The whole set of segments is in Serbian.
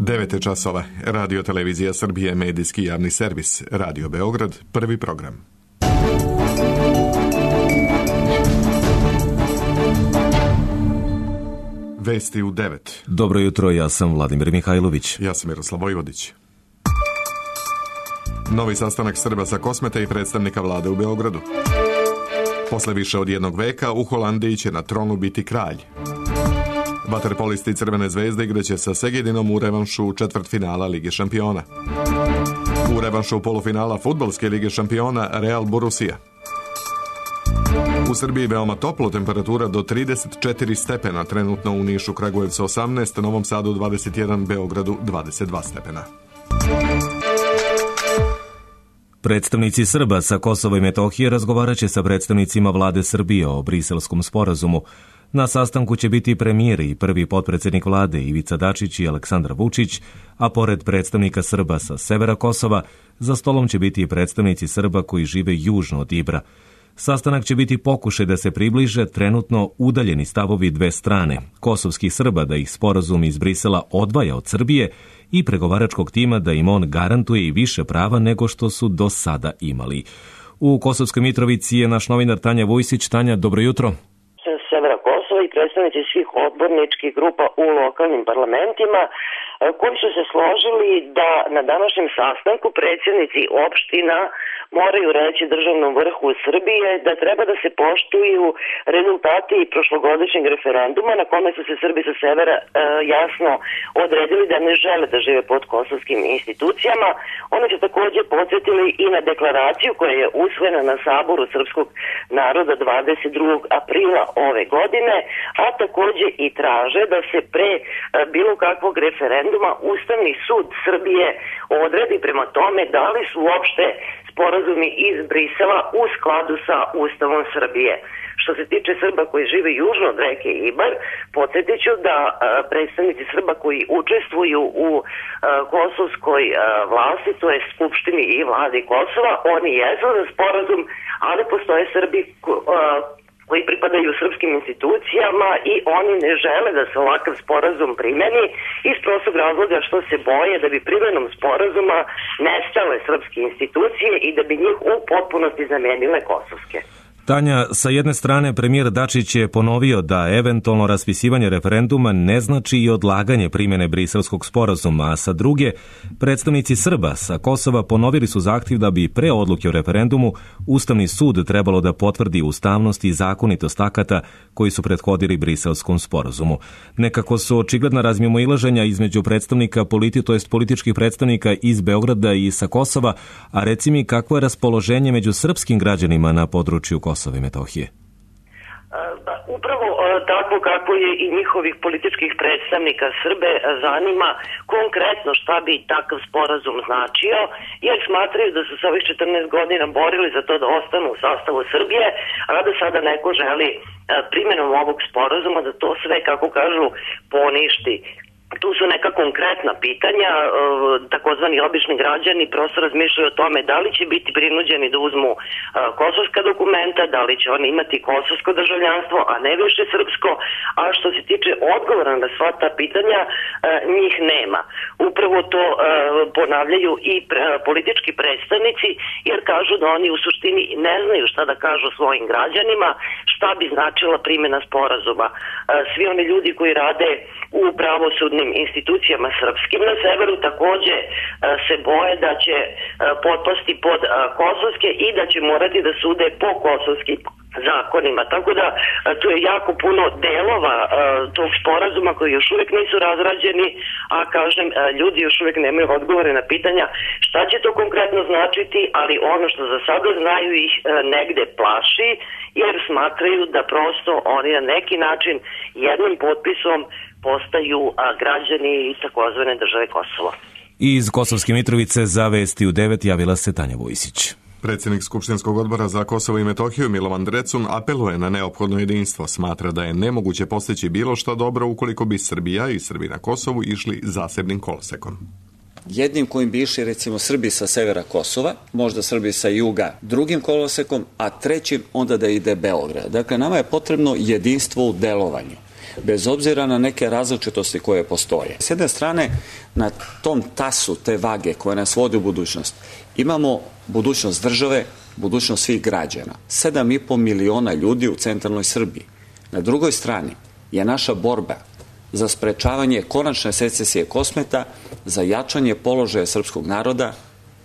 9 časova. Radio Televizija Srbije, medijski javni servis. Radio Beograd, prvi program. Vesti u 9. Dobro jutro, ja sam Vladimir Mihajlović. Ja sam Miroslav Vojvodić. Novi sastanak Srba sa Kosmeta i predstavnika vlade u Beogradu. Posle više od jednog veka u Holandiji će na tronu biti kralj. Vaterpolisti Crvene zvezde igraće sa Segedinom u revanšu četvrtfinala Lige šampiona. U revanšu polufinala Fudbalske lige šampiona Real Borussia. U Srbiji veoma toplo, temperatura do 34 stepena, trenutno u Nišu, Kragujevcu 18, Novom Sadu 21, Beogradu 22 stepena. Predstavnici Srba sa Kosova i Metohije razgovarat će sa predstavnicima vlade Srbije o Briselskom sporazumu. Na sastanku će biti premijer i prvi potpredsjednik vlade Ivica Dačić i Aleksandar Vučić, a pored predstavnika Srba sa severa Kosova, za stolom će biti i predstavnici Srba koji žive južno od Ibra. Sastanak će biti pokušaj da se približe trenutno udaljeni stavovi dve strane, kosovskih Srba da ih sporazum iz Brisela odvaja od Srbije i pregovaračkog tima da im on garantuje i više prava nego što su do sada imali. U Kosovskoj Mitrovici je naš novinar Tanja Vujsić. Tanja, dobro jutro. Severa Kosova i predstavnici svih odborničkih grupa u lokalnim parlamentima koji su se složili da na današnjem sastanku predsjednici opština moraju reći državnom vrhu Srbije da treba da se poštuju rezultati prošlogodišnjeg referenduma na kome su se Srbi sa severa jasno odredili da ne žele da žive pod kosovskim institucijama. Oni su također podsjetili i na deklaraciju koja je usvojena na Saboru srpskog naroda 22. aprila ove godine, a također i traže da se pre bilo kakvog referenduma Ustavni sud Srbije odredi prema tome da li su uopšte sporazumi iz Brisela u skladu sa Ustavom Srbije. Što se tiče Srba koji žive južno od reke Ibar, podsjetit ću da predstavnici Srba koji učestvuju u kosovskoj vlasti, to je Skupštini i vladi Kosova, oni jesu za sporazum, ali postoje Srbi koji pripadaju srpskim institucijama i oni ne žele da se ovakav sporazum primeni iz prostog razloga što se boje da bi primenom sporazuma nestale srpske institucije i da bi njih u potpunosti zamenile kosovske. Tanja, sa jedne strane premijer Dačić je ponovio da eventualno raspisivanje referenduma ne znači i odlaganje primjene Briselskog sporazuma, a sa druge, predstavnici Srba sa Kosova ponovili su zahtjev da bi pre odluke o referendumu Ustavni sud trebalo da potvrdi ustavnost i zakonitost akata koji su prethodili Briselskom sporazumu. Nekako su očigledna razmimoilaženja između predstavnika političkih predstavnika iz Beograda i sa Kosova, a reci mi kakvo je raspoloženje među srpskim građanima na području Kosova i Metohije? Upravo tako kako je i njihovih političkih predstavnika Srbe zanima konkretno šta bi takav sporazum značio, jer smatraju da su se ovih 14 godina borili za to da ostanu u sastavu Srbije, a da sada neko želi primjenom ovog sporazuma da to sve, kako kažu, poništi. Tu su neka konkretna pitanja, takozvani obični građani prosto razmišljaju o tome da li će biti prinuđeni da uzmu kosovska dokumenta, da li će oni imati kosovsko državljanstvo, a ne više srpsko, a što se tiče odgovora na sva ta pitanja, njih nema. Upravo to ponavljaju i politički predstavnici, jer kažu da oni u suštini ne znaju šta da kažu svojim građanima, šta bi značila primjena sporazuma. Svi oni ljudi koji rade u pravosudnim institucijama srpskim na severu također se boje da će potpasti pod kosovske i da će morati da sude po kosovskim zakonima. Tako da tu je jako puno delova tog sporazuma koji još uvijek nisu razrađeni, a kažem, ljudi još uvijek nemaju odgovore na pitanja šta će to konkretno značiti, ali ono što za sada znaju ih negde plaši, jer smatraju da prosto oni na neki način jednim potpisom postaju građani takozvane države Kosovo. Iz Kosovske Mitrovice za Vesti u 9 javila se Tanja Vujsić. Predsjednik Skupštinskog odbora za Kosovo i Metohiju Milovan Drecun apeluje na neophodno jedinstvo. Smatra da je nemoguće postići bilo što dobro ukoliko bi Srbija i Srbi na Kosovu išli zasebnim kolosekom. Jednim kojim bi išli recimo Srbi sa severa Kosova, možda Srbi sa juga drugim kolosekom, a trećim onda da ide Beograd. Dakle, nama je potrebno jedinstvo u delovanju. bez obzira na neke različitosti koje postoje. S jedne strane, na tom tasu te vage koja nas vodi u budućnost, imamo budućnost države, budućnost svih građana. 7,5 miliona ljudi u centralnoj Srbiji. Na drugoj strani je naša borba za sprečavanje konačne secesije Kosmeta, za jačanje položaja srpskog naroda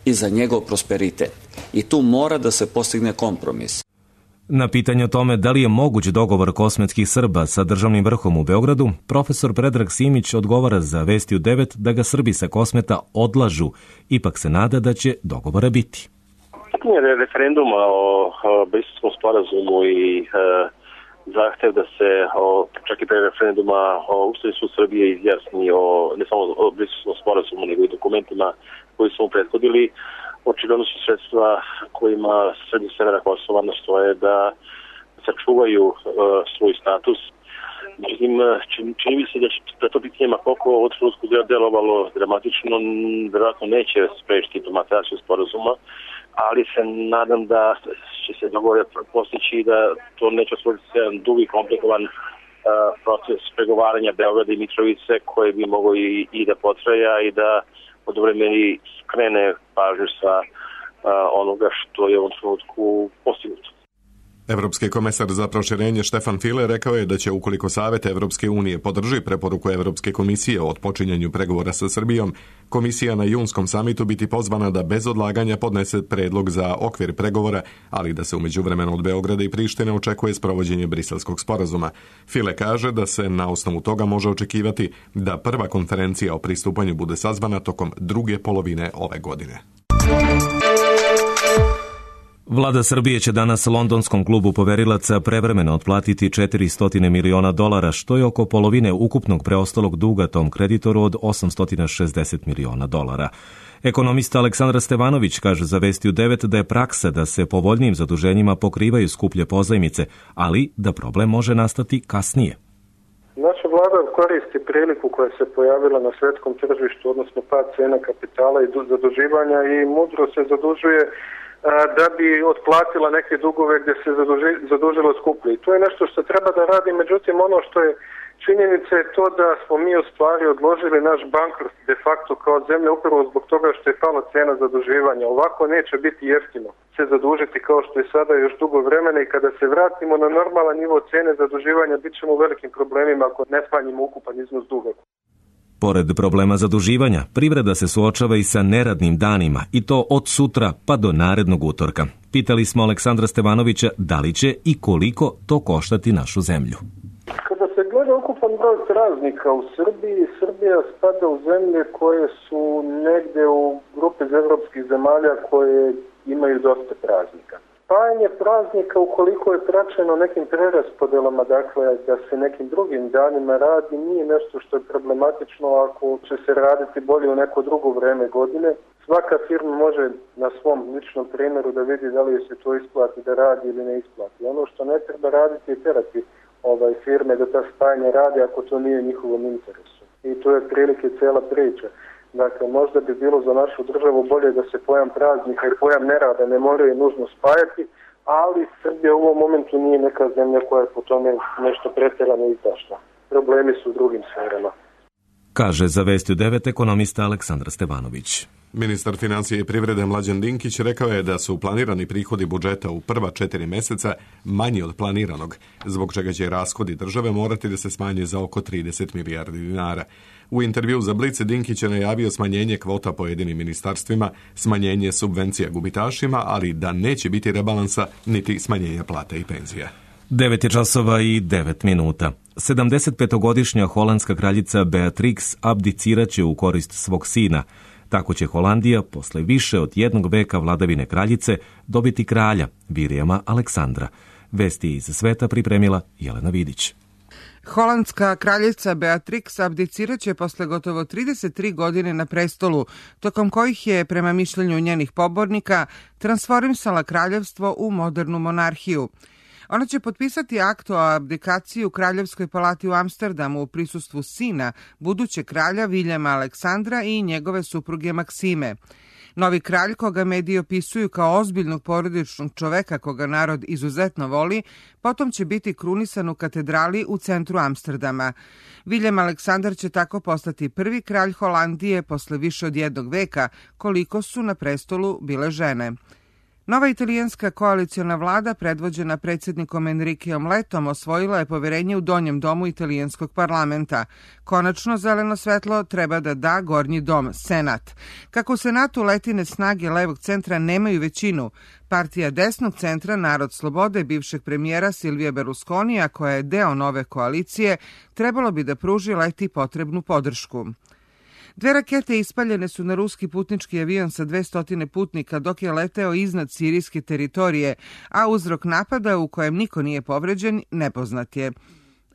i za njegov prosperitet. I tu mora da se postigne kompromis. Na pitanje o tome da li je moguć dogovor kosmetskih Srba sa državnim vrhom u Beogradu, profesor Predrag Simić odgovara za Vesti u 9 da ga Srbi sa Kosmeta odlažu, ipak se nada da će dogovora biti. Pitanje referenduma o Briselskom sporazumu i zahtev da se čak i pre referenduma Ustavni sud Srbije izjasni ne samo o Briselskom sporazumu, nego i dokumentima koji su mu prethodili. Očigledno su sredstva kojima Srbi severa Kosova nastoje da sačuvaju svoj status. Međutim, čini mi se da to pitanje koliko od trenutku delovalo dramatično, vjerojatno neće sprečiti implementaciju sporazuma, ali se nadam da će se dogovor postići da to neće otvoriti jedan dugi i komplikovan proces pregovaranja Beograda i Mitrovice koji bi mogao i da potraja i da od vremeni skrene pažnju sa onoga što je u ovom trenutku postignuto. Evropski komesar za proširenje Štefan File rekao je da će ukoliko Savet Evropske unije podrži preporuku Evropske komisije o otpočinjanju pregovora sa Srbijom, komisija na junskom samitu biti pozvana da bez odlaganja podnese predlog za okvir pregovora, ali da se u međuvremenu od Beograda i Prištine očekuje sprovođenje Briselskog sporazuma. File kaže da se na osnovu toga može očekivati da prva konferencija o pristupanju bude sazvana tokom druge polovine ove godine. Vlada Srbije će danas londonskom klubu poverilaca prevremeno otplatiti $400 miliona, što je oko polovine ukupnog preostalog duga tom kreditoru od $860 miliona. Ekonomista Aleksandra Stevanović kaže za Vesti u 9 da je praksa da se povoljnijim zaduženjima pokrivaju skuplje pozajmice, ali da problem može nastati kasnije. Naša vlada koristi priliku koja se pojavila na svetskom tržištu, odnosno pad cena kapitala i zaduživanja i mudro se zadužuje da bi otplatila neke dugove gdje se zadužilo skuplje. I to je nešto što treba da radi, međutim ono što je činjenica je to da smo mi u stvari odložili naš bankrot de facto kao zemlja upravo zbog toga što je pala cena zaduživanja. Ovako neće biti jeftino se zadužiti kao što je sada još dugo vremena i kada se vratimo na normalan nivo cene zaduživanja bit ćemo u velikim problemima ako ne smanjimo ukupan iznos duga. Pored problema zaduživanja, privreda se suočava i sa neradnim danima, i to od sutra pa do narednog utorka. Pitali smo Aleksandra Stevanovića da li će i koliko to koštati našu zemlju. Kada se gleda ukupan broj praznika u Srbiji, Srbija spada u zemlje koje su negde u grupi evropskih zemalja koje imaju dosta praznika. Spajanje praznika, ukoliko je praćeno nekim preraspodelama, dakle da se nekim drugim danima radi, nije nešto što je problematično ako će se raditi bolje u neko drugo vreme godine. Svaka firma može na svom ličnom primjeru da vidi da li se to isplati da radi ili ne isplati. Ono što ne treba raditi je terati firme da ta spajanje radi ako to nije njihovom interesu. I to je prilike cijela priča. Dakle, možda bi bilo za našu državu bolje da se pojam praznika i pojam nerada ne moraju nužno spajati, ali Srbija u ovom momentu nije neka zemlja koja je po tome nešto pretjerano izdašna. Problemi su u drugim sferama. Kaže za Vesti u 9 ekonomista Aleksandar Stevanović. Ministar financije i privrede Mlađan Dinkić rekao je da su planirani prihodi budžeta u prva 4 meseca manji od planiranog, zbog čega će rashodi države morati da se smanje za oko 30 milijardi dinara. U intervju za Blic Dinkić je najavio smanjenje kvota pojedinim ministarstvima, smanjenje subvencija gubitašima, ali da neće biti rebalansa niti smanjenja plata i penzija. 9:09. 75-godišnja holandska kraljica Beatrix abdiciraće u korist svog sina. Tako će Holandija, posle više od jednog veka vladavine kraljice, dobiti kralja, Vilijama Aleksandra. Vesti iz sveta pripremila Jelena Vidić. Holandska kraljica Beatrix abdiciraće posle gotovo 33 godine na prestolu, tokom kojih je, prema mišljenju njenih pobornika, transformisala kraljevstvo u modernu monarhiju. Ona će potpisati akt o abdikaciji u Kraljevskoj palati u Amsterdamu u prisustvu sina, budućeg kralja Vilijama Aleksandra i njegove supruge Maksime. Novi kralj, koga mediji opisuju kao ozbiljnog porodičnog čoveka koga narod izuzetno voli, potom će biti krunisan u katedrali u centru Amsterdama. Viljem Aleksandar će tako postati prvi kralj Holandije posle više od jednog veka, koliko su na prestolu bile žene. Nova italijanska koaliciona vlada, predvođena predsjednikom Enriqueom Letom, osvojila je poverenje u donjem domu italijanskog parlamenta. Konačno zeleno svetlo treba da da gornji dom, Senat. Kako u Senatu Letine snage levog centra nemaju većinu, partija desnog centra Narod slobode bivšeg premijera Silvija Berlusconija, koja je deo nove koalicije, trebalo bi da pruži Leti potrebnu podršku. 2 rakete ispaljene su na ruski putnički avion sa 200 putnika dok je leteo iznad sirijske teritorije, a uzrok napada, u kojem niko nije povređen, nepoznat je.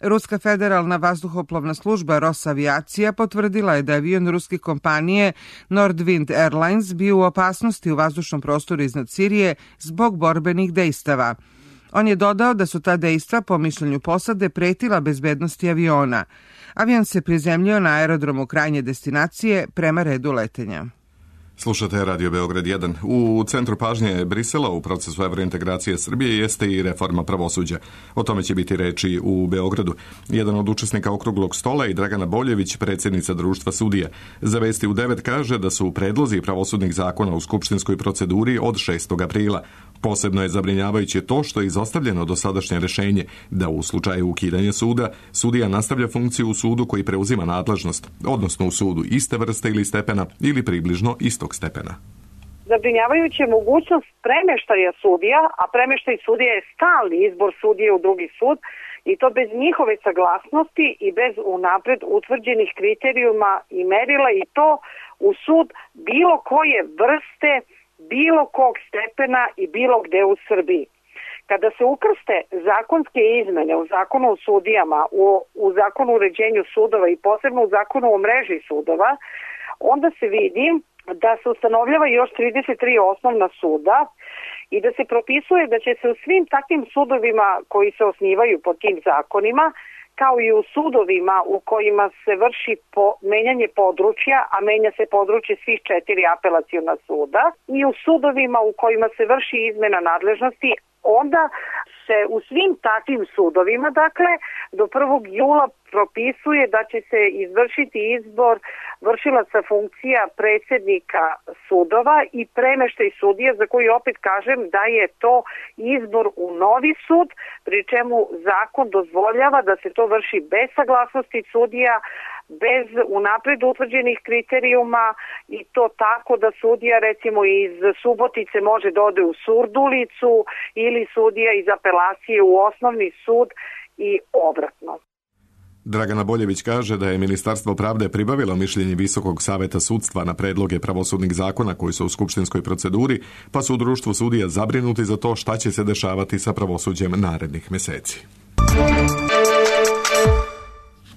Ruska federalna vazduhoplovna služba Rosaviacija potvrdila je da avion ruske kompanije Nordwind Airlines bio u opasnosti u vazdušnom prostoru iznad Sirije zbog borbenih dejstava. On je dodao da su ta dejstva, po mišljenju posade, pretila bezbednosti aviona. Avion se prizemljio na aerodromu krajnje destinacije prema redu letenja. Slušate Radio Beograd 1. U centru pažnje Brisela u procesu evrointegracije Srbije jeste i reforma pravosuđa. O tome će biti reči u Beogradu. Jedan od učesnika okruglog stola i Dragana Boljević, predsjednica Društva sudija. Za Vesti u 9 kaže da su predlozi pravosudnih zakona u skupštinskoj proceduri od 6. aprila. Posebno je zabrinjavajuće to što je izostavljeno dosadašnje rješenje da u slučaju ukidanja suda, sudija nastavlja funkciju u sudu koji preuzima nadležnost, odnosno u sudu iste vrste ili stepena ili približno istog stepena. Zabrinjavajuća je mogućnost premeštaja sudija, a premeštaj sudija je stalni izbor sudije u drugi sud i to bez njihove saglasnosti i bez unapred utvrđenih kriterijuma i merila i to u sud bilo koje vrste, bilo kog stepena i bilo gde u Srbiji. Kada se ukrste zakonske izmene u zakonu o sudijama, u zakonu o uređenju sudova i posebno u zakonu o mreži sudova, onda se vidi da se ustanovljava još 33 osnovna suda i da se propisuje da će se u svim takvim sudovima koji se osnivaju po tim zakonima, kao i u sudovima u kojima se vrši menjanje područja, a menja se područje svih 4 apelaciona suda, i u sudovima u kojima se vrši izmena nadležnosti, onda se u svim takvim sudovima, dakle, do 1. jula propisuje da će se izvršiti izbor vršilaca funkcija predsjednika sudova i premeštaj sudija, za koji opet kažem da je to izbor u novi sud, pri čemu zakon dozvoljava da se to vrši bez saglasnosti sudija, bez unapred utvrđenih kriterijuma i to tako da sudija recimo iz Subotice može da ode u Surdulicu ili sudija iz apelacije u osnovni sud i obratno. Dragana Boljević kaže da je Ministarstvo pravde pribavilo mišljenje Visokog saveta sudstva na predloge pravosudnih zakona koji su u skupštinskoj proceduri, pa su u Društvu sudija zabrinuti za to šta će se dešavati sa pravosuđem narednih meseci.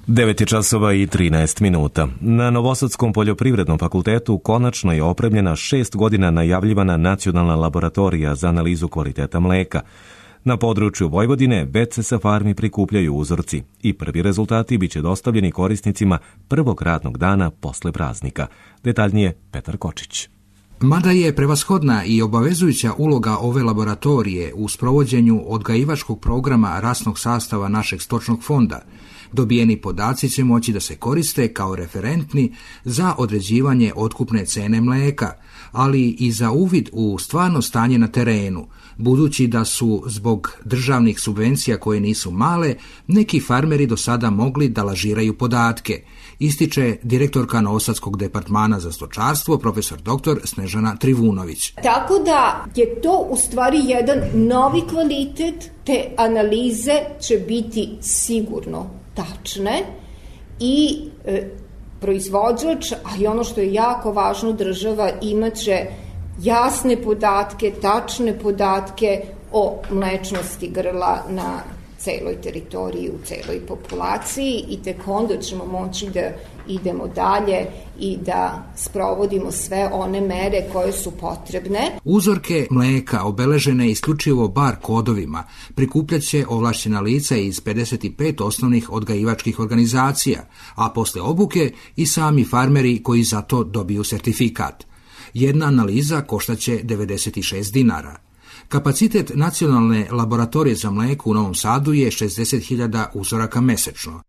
9:13. Na Novosadskom poljoprivrednom fakultetu konačno je opremljena 6 godina najavljivana nacionalna laboratorija za analizu kvaliteta mleka. Na području Vojvodine već se sa farmi prikupljaju uzorci i prvi rezultati biće dostavljeni korisnicima prvog radnog dana posle praznika. Detaljnije Petar Kočić. Mada je prevashodna i obavezujuća uloga ove laboratorije u sprovođenju odgajivačkog programa rasnog sastava našeg stočnog fonda, dobijeni podaci će moći da se koriste kao referentni za određivanje otkupne cene mleka, ali i za uvid u stvarno stanje na terenu, budući da su zbog državnih subvencija koje nisu male, neki farmeri do sada mogli da lažiraju podatke, ističe direktorka Novosadskog departmana za stočarstvo, profesor dr. Snežana Trivunović. Tako da je to u stvari jedan novi kvalitet, te analize će biti sigurno tačne i proizvođač, a i ono što je jako važno, država imaće jasne podatke, tačne podatke o mlečnosti grla na celoj teritoriji, u celoj populaciji i tek onda ćemo moći da idemo dalje i da sprovodimo sve one mere koje su potrebne. Uzorke mleka obeležene isključivo bar kodovima prikupljat će ovlašćena lica iz 55 osnovnih odgajivačkih organizacija, a posle obuke i sami farmeri koji za to dobiju sertifikat. Jedna analiza koštaće 96 dinara. Kapacitet nacionalne laboratorije za mlijeko u Novom Sadu je 60.000 uzoraka mesečno.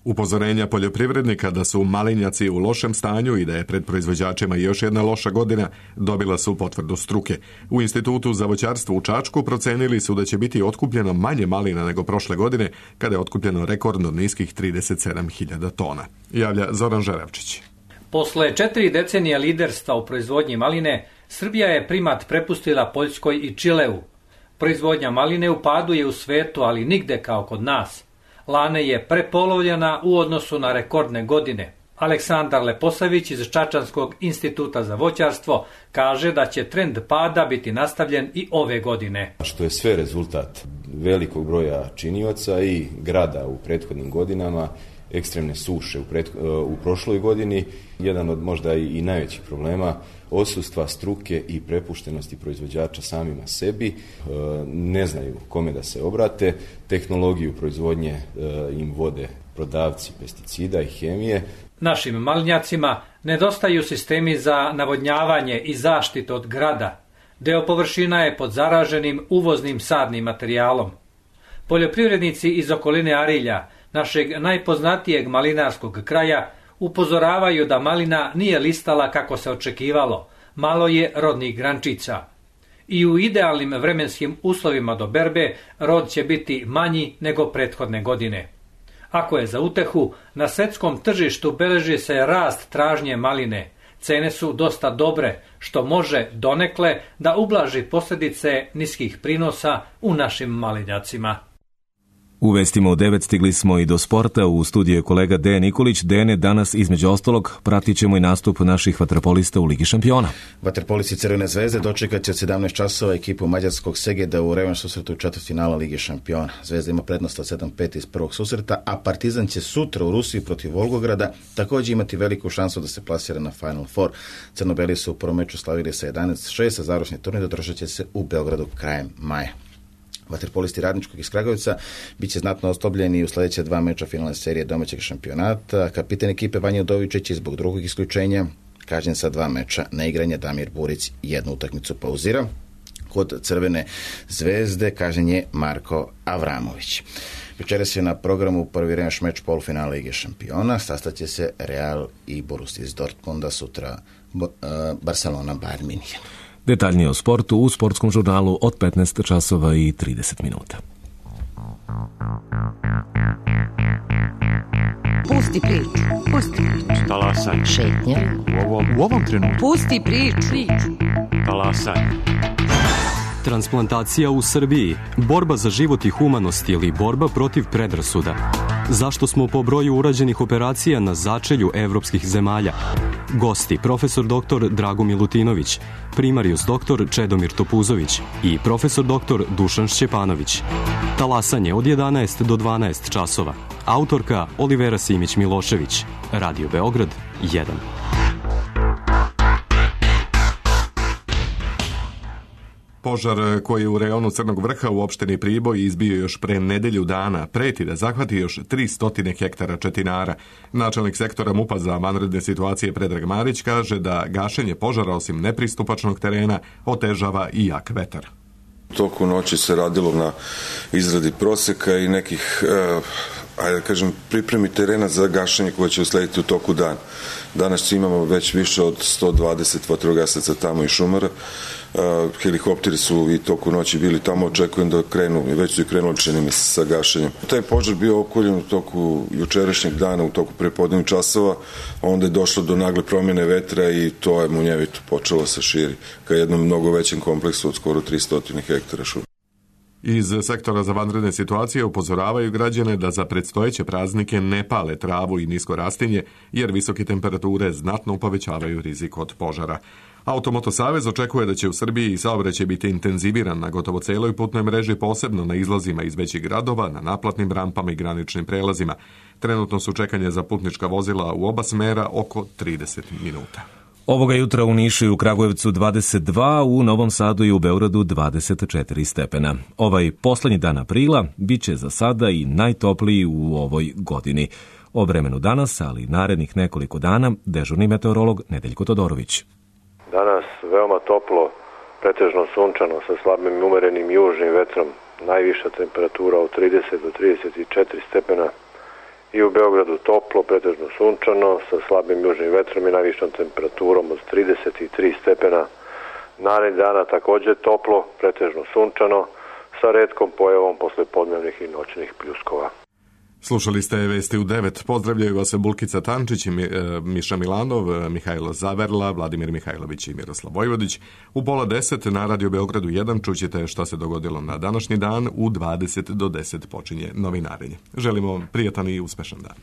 Upozorenja poljoprivrednika da su malinjaci u lošem stanju i da je pred proizvođačima još jedna loša godina dobila su potvrdu struke. U Institutu za voćarstvo u Čačku procenili su da će biti otkupljeno manje malina nego prošle godine, kada je otkupljeno rekordno niskih 37.000 tona. Javlja Zoran Žerevčić. Posle 4 decenija liderstva u proizvodnji maline, Srbija je primat prepustila Poljskoj i Čileu. Proizvodnja maline u padu je u svetu, ali nigde kao kod nas. Lane je prepolovljena u odnosu na rekordne godine. Aleksandar Leposavić iz Čačanskog instituta za voćarstvo kaže da će trend pada biti nastavljen i ove godine. Što je sve rezultat velikog broja činioca i grada u prethodnim godinama, ekstremne suše u prošloj godini, jedan od možda i najvećih problema, odsustva struke i prepuštenosti proizvođača samima sebi, ne znaju kome da se obrate, tehnologiju proizvodnje im vode prodavci pesticida i hemije. Našim malinjacima nedostaju sistemi za navodnjavanje i zaštitu od grada. Deo površina je pod zaraženim uvoznim sadnim materijalom. Poljoprivrednici iz okoline Arilja, našeg najpoznatijeg malinarskog kraja, upozoravaju da malina nije listala kako se očekivalo, malo je rodnih grančica. I u idealnim vremenskim uslovima do berbe rod će biti manji nego prethodne godine. Ako je za utehu, na svetskom tržištu beleži se rast tražnje maline. Cene su dosta dobre, što može donekle da ublaži posljedice niskih prinosa u našim malinjacima. U vestima u 9 stigli smo i do sporta. U studiju je kolega Dejan Nikolić. Dejane, danas između ostalog pratit ćemo i nastup naših vaterpolista u Ligi šampiona. Vaterpolisti Crvene zvezde dočekat će od 17 časova ekipu mađarskog Segeda u revanš susretu u četvrtfinalu Lige šampiona. Zvezda ima prednost od 7-5 iz prvog susreta, a Partizan će sutra u Rusiji protiv Volgograda također imati veliku šansu da se plasira na Final Four. Crnobeli su u prvom meču slavili sa 11-6, a završni turnir održat će se u Beogradu krajem maja. Vaterpolisti Radničkog iz Kragujevca bit će znatno ostobljeni u sljedeća 2 meča finalne serije domaćeg šampionata. Kapitan ekipe Vanja Udovičić je zbog drugog isključenja kažnjen sa 2 meča neigranja. Damir Burić jednu utakmicu pauzira. Kod Crvene zvezde kažnjen je Marko Avramović. Večeras je na programu prvi revanš meč polufinala Lige šampiona. Sastaće se Real i Borussia iz Dortmunda, sutra Barcelona Bayern München. Detaljnije o sportu u sportskom žurnalu od 15 časova i 30 minuta. Pusti priču. Pusti priču. Talasaj. Šetnja. U ovom trenutku. Pusti priču. Talasaj. Transplantacija u Srbiji, borba za život i humanost ili borba protiv predrasuda. Zašto smo po broju urađenih operacija na začelju evropskih zemalja? Gosti, profesor dr. Drago Milutinović, primarius dr. Čedomir Topuzović i profesor dr. Dušan Šćepanović. Talasanje od 11 do 12 časova. Autorka Olivera Simić-Milošević. Radio Beograd 1. Požar koji je u rejonu Crnog Vrha u opštini Priboj izbio još pre nedelju dana preti da zahvati još 300 hektara četinara. Načelnik sektora MUP-a za vanredne situacije Predrag Marić kaže da gašenje požara osim nepristupačnog terena otežava i jak vetar. Toku noći se radilo na izradi proseka i nekih pripremi terena za gašenje koje će uslediti u toku dana. Danas imamo već više od 120 vatrogasaca tamo i šumara. Helikopteri su i toku noći bili tamo, očekujem da krenu, već su i krenuli čini mi se sa gašenjem. Taj požar bio okoljen u toku jučerašnjeg dana, u toku prepodnevnih časova, onda je došlo do nagle promjene vetra i to je munjevito počelo se širi ka jednom mnogo većem kompleksu od skoro 300 hektara šuma. Iz sektora za vanredne situacije upozoravaju građane da za predstojeće praznike ne pale travu i nisko rastinje, jer visoke temperature znatno povećavaju rizik od požara. Automoto Savez očekuje da će u Srbiji saobraćaj biti intenziviran na gotovo celoj putnoj mreži, posebno na izlazima iz većih gradova, na naplatnim rampama i graničnim prelazima. Trenutno su čekanje za putnička vozila u oba smera oko 30 minuta. Ovoga jutra u Nišu i u Kragujevcu 22, u Novom Sadu i u Beogradu 24 stepena. Ovaj poslednji dan aprila bit će za sada i najtopliji u ovoj godini. O vremenu danas, ali narednih nekoliko dana, dežurni meteorolog Nedeljko Todorović. Danas veoma toplo, pretežno sunčano sa slabim i umerenim južnim vetrom, najviša temperatura od 30 do 34 stepena i u Beogradu toplo, pretežno sunčano sa slabim južnim vetrom i najvišom temperaturom od 33 stepena. Narednih dana takođe toplo, pretežno sunčano sa retkom pojavom poslepodnevnih i noćnih pljuskova. Slušali ste vesti u 9. Pozdravljaju vas Bulkica Tančić, Miša Milanov, Mihajlo Zaverla, Vladimir Mihajlović i Miroslav Vojvodić. U 9:30 na Radio Beogradu 1 čućete šta se dogodilo na današnji dan. U 20 do 10 počinje novinarenje. Želimo prijatan i uspešan dan.